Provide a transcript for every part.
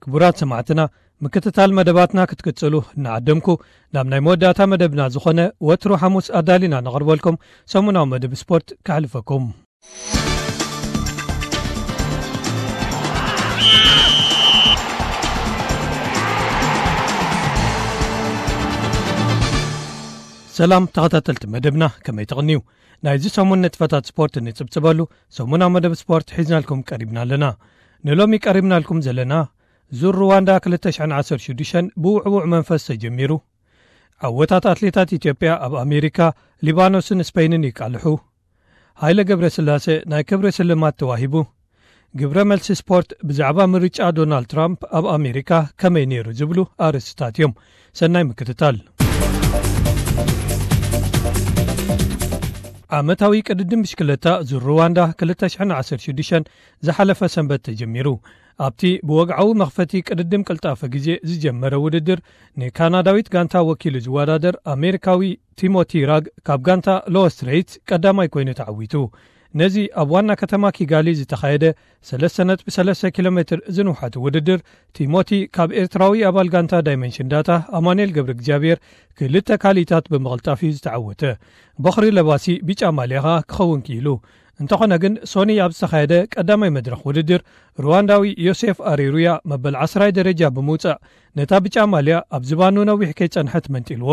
ክቡራት ሰማዕትና፣ ምክትታል መደባትና ክትቅጽሉ እናዓደምኩ፣ ናብ ናይ መወዳእታ መደብና ዝኾነ ወትሩ ሓሙስ ኣዳሊና ነቕርበልኩም ሰሙናዊ መደብ ስፖርት ከሕልፈኩም። ሰላም ተኸታተልቲ መደብና፣ ከመይ ትቕንዩ? ናይዚ ሰሙን ንጥፈታት ስፖርት እንጽብጽበሉ ሰሙናዊ መደብ ስፖርት ሒዝናልኩም ቀሪብና ኣለና። ንሎሚ ቀሪብናልኩም ዘለና፣ ዙር ሩዋንዳ ክልተ ሽሕን ዓሰርተ ሽዱሽተን ብውዕዉዕ መንፈስ ተጀሚሩ። ዓወታት ኣትሌታት ኢትዮጵያ ኣብ ኣሜሪካ፣ ሊባኖስን ስፔንን ይቃልሑ። ሃይለ ገብረስላሴ ናይ ክብሪ ስልማት ተዋሂቡ። ግብረ መልሲ ስፖርት ብዛዕባ ምርጫ ዶናልድ ትራምፕ ኣብ ኣሜሪካ ከመይ ነይሩ ዝብሉ ኣርእስትታት እዮም። ሰናይ ምክትታል። ዓመታዊ ቅድድም ብሽክለታ ዙር ሩዋንዳ ክልተ ሽሕን ዓሰርተ ሽዱሽተን ዝሓለፈ ሰንበት ተጀሚሩ። ኣብቲ ብወግዓዊ መኽፈቲ ቅድድም ቅልጣፈ ግዜ ዝጀመረ ውድድር፣ ንካናዳዊት ጋንታ ወኪሉ ዝወዳደር ኣሜሪካዊ ቲሞቲ ራግ ካብ ጋንታ ሎወስትሬት ቀዳማይ ኮይኑ ተዓዊቱ። ነዚ ኣብ ዋና ከተማ ኪጋሊ ዝተኻየደ ሰለስተ ነጥቢ ሰለስተ ኪሎ ሜትር ዝንውሓቱ ውድድር፣ ቲሞቲ ካብ ኤርትራዊ ኣባል ጋንታ ዳይመንሽን ዳታ ኣማኑኤል ገብረ እግዚኣብሔር ክልተ ካሊታት ብምቕልጣፍ እዩ ዝተዓወተ። በኽሪ ለባሲ ቢጫ ማልያ ኸኣ ክኸውን ክኢሉ። እንተኾነ ግን፣ ሶኒ ኣብ ዝተኻየደ ቀዳማይ መድረኽ ውድድር፣ ሩዋንዳዊ ዮሴፍ ኣሬሩያ መበል ዓስራይ ደረጃ ብምውጻእ፣ ነታ ብጫ ማልያ ኣብ ዝባኑ ነዊሕ ከይጸንሐት መንጢልዎ።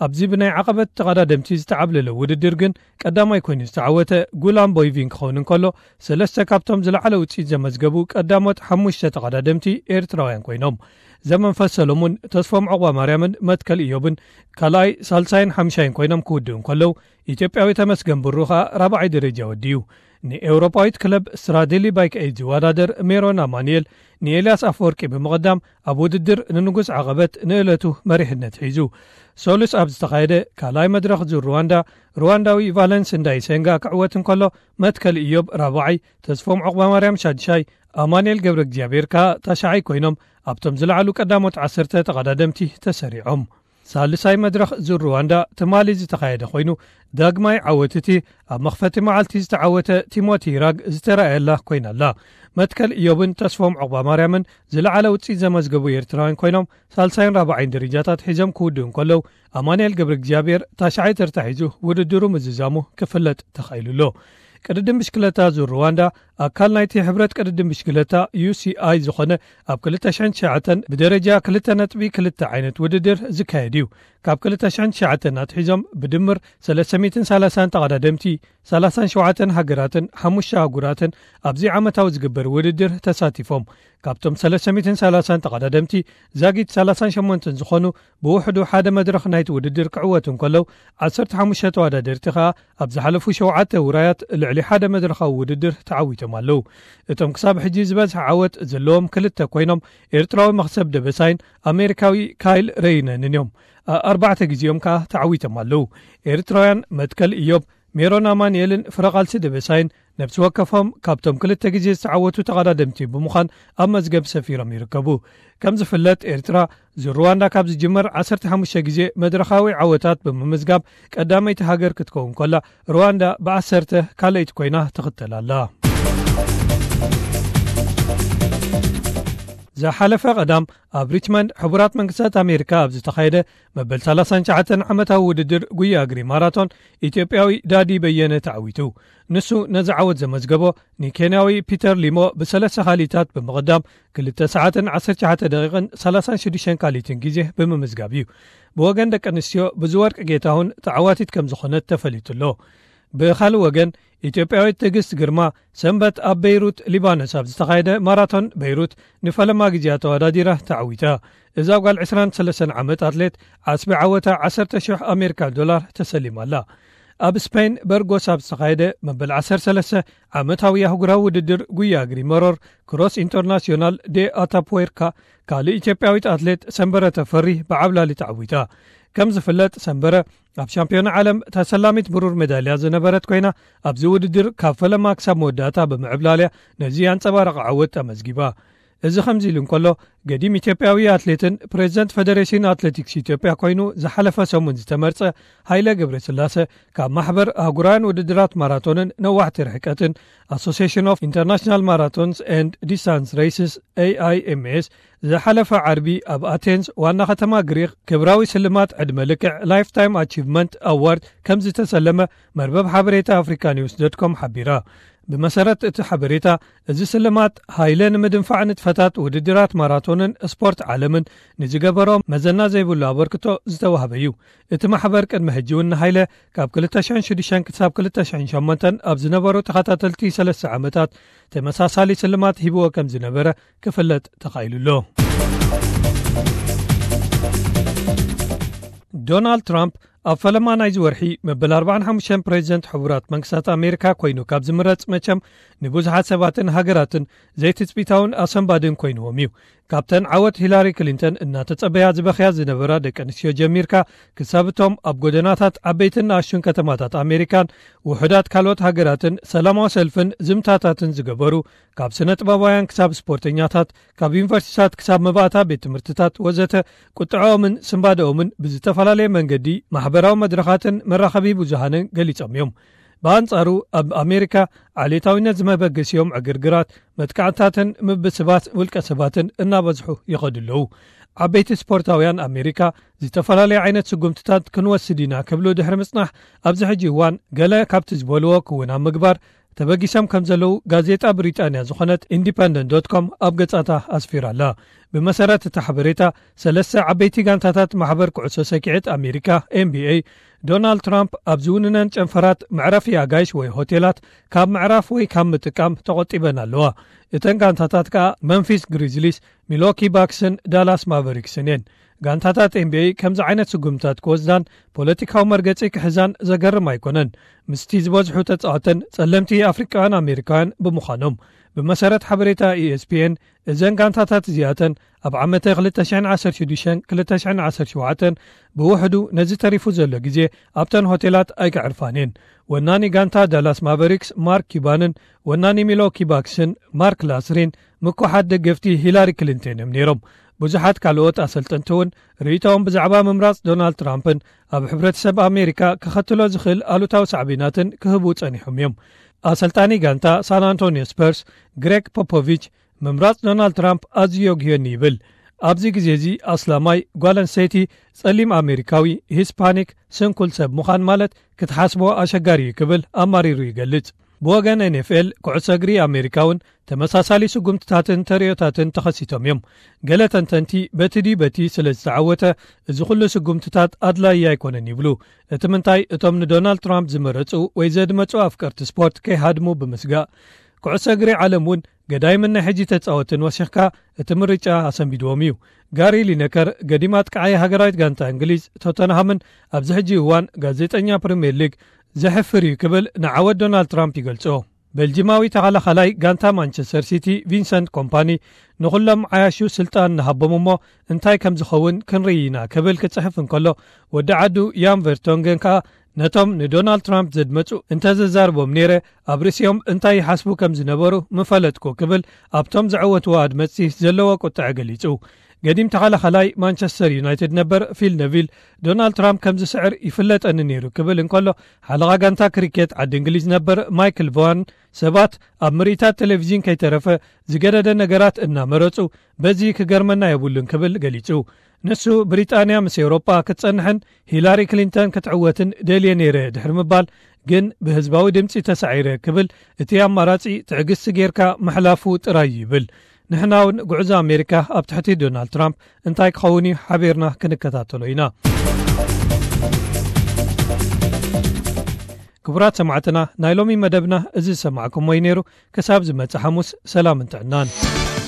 ኣብዚ ብናይ ዓቐበት ተቐዳደምቲ ዝተዓብለለ ውድድር ግን፣ ቀዳማይ ኮይኑ ዝተዓወተ ጉላም ቦይቪን ክኸውን እንከሎ፣ ሰለስተ ካብቶም ዝለዓለ ውጽኢት ዘመዝገቡ ቀዳሞት ሓሙሽተ ተቐዳደምቲ ኤርትራውያን ኮይኖም። ዘመንፈስ ሰሎሙን፣ ተስፎም ዑቕባማርያምን መትከል ኢዮብን ካልኣይ፣ ሳልሳይን ሓምሻይን ኮይኖም ክውድኡ እንከለዉ፣ ኢትዮጵያዊ ተመስገን ብሩ ኸኣ ራብዓይ ደረጃ ወዲኡ። ንኤውሮጳዊት ክለብ ስትራዴሊ ባይክ ኤይድ ዝወዳደር ሜሮን ኣማኑኤል ንኤልያስ ኣፈወርቂ ብምቕዳም፣ ኣብ ውድድር ንንጉስ ዓቐበት ንእለቱ መሪሕነት ሒዙ። ሶሉስ ኣብ ዝተኻየደ ካልኣይ መድረኽ ዙር ሩዋንዳ፣ ሩዋንዳዊ ቫለንስ እንዳይሴንጋ ክዕወት እንከሎ፣ መትከል ኢዮብ ራብዓይ፣ ተስፎም ዑቕባማርያም ሻድሻይ፣ ኣማኑኤል ገብረ እግዚኣብሔር ከኣ ታሽዓይ ኮይኖም፣ ኣብቶም ዝለዓሉ ቀዳሞት ዓሰርተ ተቐዳደምቲ ተሰሪዖም። ሳልሳይ መድረኽ ዙር ሩዋንዳ ትማሊ ዝተኻየደ ኮይኑ፣ ዳግማይ ዓወት እቲ ኣብ መኽፈቲ መዓልቲ ዝተዓወተ ቲሞቲ ራግ ዝተራእየላ ኮይና ኣላ። መትከል ኢዮብን ተስፎም ዑቕባማርያምን ዝለዓለ ውጽኢት ዘመዝገቡ ኤርትራውያን ኮይኖም፣ ሳልሳይን ራብዓይን ደረጃታት ሒዞም ክውድኡ እንከለዉ፣ ኣማኑኤል ገብረ እግዚኣብሔር ታሽዓይ ተርታ ሒዙ ውድድሩ ምዝዛሙ ክፍለጥ ተኻኢሉ ኣሎ። ቅድድም ብሽክለታ ዙር ሩዋንዳ ኣካል ናይቲ ሕብረት ቅድድም ብሽክለታ ዩ ሲ ኣይ ዝኾነ፣ ኣብ ክልተ ሽሕን ትሽዓተን ብደረጃ ክልተ ነጥቢ ክልተ ዓይነት ውድድር ዝካየድ እዩ። ካብ ክልተ ሽሕን ትሽዓተን ኣትሒዞም ብድምር ሰለስተ ሚእትን ሰላሳን ተቐዳደምቲ፣ ሰላሳን ሸውዓተን ሃገራትን ሓሙሽተ ኣህጉራትን ኣብዚ ዓመታዊ ዝግበር ውድድር ተሳቲፎም። ካብቶም ሰለስተ ሚእትን ሰላሳን ተቐዳደምቲ፣ ዛጊት ሰላሳን ሸሞንተን ዝኾኑ ብውሕዱ ሓደ መድረኽ ናይቲ ውድድር ክዕወቱ እንከለዉ፣ ዓሰርተ ሓሙሽተ ተወዳደርቲ ኸኣ ኣብ ዝሓለፉ ሸውዓተ ውራያት ልዕሊ ሓደ መድረኻዊ ውድድር ተዓዊቶም ኣለዉ። እቶም ክሳብ ሕጂ ዝበዝሐ ዓወት ዘለዎም ክልተ ኮይኖም፣ ኤርትራዊ መኽሰብ ደበሳይን ኣሜሪካዊ ካይል ረይነንን እዮም። ኣ-፣ ኣርባዕተ ግዜኦም ከኣ ተዓዊቶም ኣለዉ። ኤርትራውያን መትከል ኢዮብ፣ ሜሮን ኣማኑኤልን ፍረቓልሲ ደበሳይን ነብሲ ወከፎም ካብቶም ክልተ ግዜ ዝተዓወቱ ተቐዳደምቲ ብምዃን ኣብ መዝገብ ሰፊሮም ይርከቡ። ከም ዝፍለጥ፣ ኤርትራ ዙር ሩዋንዳ ካብ ዝጅመር ዓሰርተ ሓሙሽተ ግዜ መድረኻዊ ዓወታት ብምምዝጋብ ቀዳመይቲ ሃገር ክትከውን ከላ፣ ሩዋንዳ ብዓሰርተ ካልኣይቲ ኮይና ትኽተል ኣላ። ዝሓለፈ ቀዳም ኣብ ሪችመንድ ሕቡራት መንግስታት ኣሜሪካ ኣብ ዝተኻየደ መበል ሰላሳን ትሽዓተን ዓመታዊ ውድድር ጉያ እግሪ ማራቶን፣ ኢትዮጵያዊ ዳዲ በየነ ተዓዊቱ። ንሱ ነዚ ዓወት ዘመዝገቦ፣ ንኬንያዊ ፒተር ሊሞ ብሰለስተ ካሊታት ብምቕዳም፣ ክልተ ሰዓትን ዓሰርተ ትሽዓተ ደቂቕን ሰላሳን ሽዱሽተን ካሊትን ግዜ ብምምዝጋብ እዩ። ብወገን ደቂ ኣንስትዮ፣ ብዙ ወርቂ ጌታሁን ተዓዋቲት ከም ዝኾነት ተፈሊጡ ኣሎ። ብኻልእ ወገን፣ ኢትዮጵያዊት ትዕግስት ግርማ፣ ሰንበት ኣብ በይሩት ሊባኖስ ኣብ ዝተኻየደ ማራቶን በይሩት ንፈለማ ግዜኣ ተወዳዲራ ተዓዊታ። እዛ ጓል ዕስራን ሰለስተን ዓመት ኣትሌት፣ ዓስቢ ዓወታ ዓሰርተ ሽሕ ኣሜሪካ ዶላር ተሰሊማ ኣላ። ኣብ ስፔን በርጎስ ኣብ ዝተኻየደ መበል ዓሰርተ ሰለስተ ዓመታዊ ኣህጉራዊ ውድድር ጉያ እግሪ መሮር ክሮስ ኢንተርናሲዮናል ዴ ኣታፕዌርካ፣ ካልእ ኢትዮጵያዊት ኣትሌት ሰንበረ ተፈሪ ብዓብላሊ ተዓዊታ። ከም ዝፍለጥ፣ ሰንበረ ኣብ ሻምፒዮና ዓለም ተሰላሚት ብሩር ሜዳልያ ዝነበረት ኮይና፣ ኣብዚ ውድድር ካብ ፈለማ ክሳብ መወዳእታ ብምዕብላልያ ነዚ ኣንጸባራቒ ዓወት ኣመዝጊባ። እዚ ከምዚ ኢሉ እንከሎ፣ ገዲም ኢትዮጵያዊ ኣትሌትን ፕሬዝደንት ፌደሬሽን ኣትሌቲክስ ኢትዮጵያ ኮይኑ ዝሓለፈ ሰሙን ዝተመርጸ ሃይለ ገብረስላሰ፣ ካብ ማሕበር ኣህጉራውያን ውድድራት ማራቶንን ነዋሕቲ ርሕቀትን፣ ኣሶሲሽን ኦፍ ኢንተርናሽናል ማራቶንስ ኤንድ ዲስታንስ ሬስስ፣ ኤ ኣይ ኤም ኤስ፣ ዝሓለፈ ዓርቢ ኣብ ኣቴንስ ዋና ከተማ ግሪክ ክብራዊ ስልማት ዕድመ ልክዕ ላይፍ ታይም ኣቺቭመንት ኣዋርድ ከም ዝተሰለመ መርበብ ሓበሬታ ኣፍሪካ ኒውስ ዶት ኮም ሓቢራ። ብመሰረት እቲ ሓበሬታ፣ እዚ ስልማት ሃይለ ንምድንፋዕ ንጥፈታት ውድድራት ማራቶንን ስፖርት ዓለምን ንዝገበሮ መዘና ዘይብሉ ኣበርክቶ ዝተዋህበ እዩ። እቲ ማሕበር ቅድሚ ሕጂ እውን ንሃይለ ካብ ክልተ ሽሕን ሽዱሽተን ክሳብ ክልተ ሽሕን ሸሞንተን ኣብ ዝነበሩ ተኸታተልቲ ሰለስተ ዓመታት ተመሳሳሊ ስልማት ሂብዎ ከም ዝነበረ ክፍለጥ ተኻኢሉ ኣሎ። ዶናልድ ትራምፕ ኣብ ፈለማ ናይዚ ወርሒ መበል ኣርባዓን ሓሙሽተን ፕሬዚደንት ሕቡራት መንግስታት ኣሜሪካ ኮይኑ ካብ ዝምረጽ፣ መቸም ንብዙሓት ሰባትን ሃገራትን ዘይትጽቢታውን ኣሰንባድን ኮይንዎም እዩ። ካብተን ዓወት ሂላሪ ክሊንተን እናተጸበያ ዝበኽያ ዝነበራ ደቂ ኣንስትዮ ጀሚርካ፣ ክሳብ እቶም ኣብ ጎደናታት ዓበይትን ንኣሽቱን ከተማታት ኣሜሪካን ውሑዳት ካልኦት ሃገራትን ሰላማዊ ሰልፍን ዝምታታትን ዝገበሩ፣ ካብ ስነ ጥበባውያን ክሳብ ስፖርተኛታት፣ ካብ ዩኒቨርሲቲታት ክሳብ መባእታ ቤት ትምህርትታት ወዘተ፣ ቁጥዐኦምን ስንባደኦምን ብዝተፈላለየ መንገዲ ማሕበራዊ መድረኻትን መራኸቢ ብዙሃንን ገሊጾም እዮም። ብኣንጻሩ፣ ኣብ ኣሜሪካ ዓሌታዊነት ዝመበገሲኦም ዕግርግራት፣ መጥቃዕትታትን ምብስባት ውልቀ ሰባትን እናበዝሑ ይኸዱ ኣለዉ። ዓበይቲ ስፖርታውያን ኣሜሪካ፣ ዝተፈላለዩ ዓይነት ስጉምትታት ክንወስድ ኢና ክብሉ ድሕሪ ምጽናሕ፣ ኣብዚ ሕጂ እዋን ገለ ካብቲ ዝበልዎ ክውን ኣብ ምግባር ተበጊሶም ከም ዘለዉ ጋዜጣ ብሪጣንያ ዝኾነት ኢንዲፐንደንት ዶት ኮም ኣብ ገጻታ ኣስፊራ ኣላ። ብመሰረት እቲ ሓበሬታ፣ ሰለስተ ዓበይቲ ጋንታታት ማሕበር ኩዕሶ ሰኪዐት ኣሜሪካ፣ ኤን ቢ ኤ፣ ዶናልድ ትራምፕ ኣብ ዝውንነን ጨንፈራት መዕረፊ ኣጋይሽ ወይ ሆቴላት ካብ ምዕራፍ ወይ ካብ ምጥቃም ተቖጢበን ኣለዋ። እተን ጋንታታት ከኣ መንፊስ ግሪዝሊስ፣ ሚልዎኪ ባክስን ዳላስ ማቨሪክስን እየን። ጋንታታት ኤን ቢ ኤ ከምዚ ዓይነት ስጉምታት ክወስዳን ፖለቲካዊ መርገጺ ክሕዛን ዘገርም ኣይኮነን። ምስቲ ዝበዝሑ ተጻወተን ጸለምቲ ኣፍሪቃውያን ኣሜሪካውያን ብምዃኖም። ብመሰረት ሓበሬታ ኢ ኤስ ፒ ኤን፣ እዘን ጋንታታት እዚኣተን ኣብ ዓመተ ክልተ ሽሕን ዓሰርተ ሽዱሽተን ክልተ ሽሕን ዓሰርተ ሸውዓተን ብውሕዱ ነዚ ተሪፉ ዘሎ ግዜ ኣብተን ሆቴላት ኣይከዕርፋን እየን። ወናኒ ጋንታ ዳላስ ማቨሪክስ ማርክ ኪባንን ወናኒ ሚልዎኪ ባክስን ማርክ ላስሪን ምኩሓት ደገፍቲ ሂላሪ ክሊንተን እዮም ነይሮም። ብዙሓት ካልኦት ኣሰልጠንቲ እውን ርእይቶኦም ብዛዕባ ምምራጽ ዶናልድ ትራምፕን ኣብ ሕብረተሰብ ኣሜሪካ ከኸትሎ ዝኽእል ኣሉታዊ ሳዕቤናትን ክህቡ ጸኒሖም እዮም። ኣሰልጣኒ ጋንታ ሳን ኣንቶኒዮ ስፐርስ ግሬግ ፖፖቪች፣ ምምራጽ ዶናልድ ትራምፕ ኣዝዩ የጉህየኒ ይብል። ኣብዚ ግዜ እዚ ኣስላማይ፣ ጓል ኣንስተይቲ፣ ጸሊም ኣሜሪካዊ፣ ሂስፓኒክ፣ ስንኩል ሰብ ምዃን ማለት ክትሓስቦ ኣሸጋሪ እዩ ክብል ኣማሪሩ ይገልጽ። ብወገን ኤን ኤፍ ኤል፣ ኩዕሶ እግሪ ኣሜሪካ እውን ተመሳሳሊ ስጉምትታትን ተርእዮታትን ተኸሲቶም እዮም። ገለ ተንተንቲ በቲ ድዩ በቲ ስለ ዝተዓወተ እዚ ኩሉ ስጉምትታት ኣድላዪ ኣይኮነን ይብሉ። እቲ ምንታይ እቶም ንዶናልድ ትራምፕ ዝመረጹ ወይ ዘድመጹ ኣፍቀርቲ ስፖርት ከይሃድሙ ብምስጋእ፣ ኩዕሶ እግሪ ዓለም እውን ገዳይምን ናይ ሕጂ ተጻወትን ወሲኽካ እቲ ምርጫ ኣሰንቢድዎም እዩ። ጋሪ ሊነከር ገዲም ኣጥቃዓይ ሃገራዊት ጋንታ እንግሊዝ ቶተንሃምን ኣብዚ ሕጂ እዋን ጋዜጠኛ ፕሪምየር ሊግ ዘሕፍር እዩ ክብል ንዓወት ዶናልድ ትራምፕ ይገልጾ። ቤልጂማዊ ተኸላኻላይ ጋንታ ማንቸስተር ሲቲ ቪንሰንት ኮምፓኒ ንኹሎም ዓያሹ ስልጣን ንሃቦም እሞ እንታይ ከም ዝኸውን ክንርኢ ኢና ክብል ክጽሕፍ እንከሎ፣ ወዲ ዓዱ ያን ቨርቶንገን ከኣ ነቶም ንዶናልድ ትራምፕ ዘድመጹ እንተዘዛርቦም ነይረ ኣብ ርእሲኦም እንታይ ይሓስቡ ከም ዝነበሩ ምፈለጥኩ ክብል ኣብቶም ዘዐወትዎ ኣድመጽቲ ዘለዎ ቁጥዐ ገሊጹ። ገዲም ተኸላኻላይ ማንቸስተር ዩናይትድ ነበር ፊል ነቪል፣ ዶናልድ ትራምፕ ከም ዝስዕር ይፍለጠኒ ነይሩ ክብል እንከሎ፣ ሓለቓ ጋንታ ክሪኬት ዓዲ እንግሊዝ ነበር ማይክል ቮን፣ ሰባት ኣብ ምርኢታት ቴሌቪዥን ከይተረፈ ዝገደደ ነገራት እናመረጹ፣ በዚ ክገርመና የብሉን ክብል ገሊጹ። ንሱ ብሪጣንያ ምስ ኤውሮጳ ክትጸንሕን ሂላሪ ክሊንተን ክትዕወትን ደልየ ነይረ ድሕሪ ምባል፣ ግን ብህዝባዊ ድምጺ ተሳዒረ ክብል እቲ ኣማራጺ ትዕግስቲ ጌርካ ምሕላፉ ጥራይ እዩ ይብል። ንሕና እውን ጉዕዞ ኣሜሪካ ኣብ ትሕቲ ዶናልድ ትራምፕ እንታይ ክኸውን እዩ ሓቢርና ክንከታተሎ ኢና። ክቡራት ሰማዕትና፣ ናይ ሎሚ መደብና እዚ ዝሰማዕኩሞ እዩ ነይሩ። ክሳብ ዝመጽእ ሓሙስ ሰላምን ጥዕናን።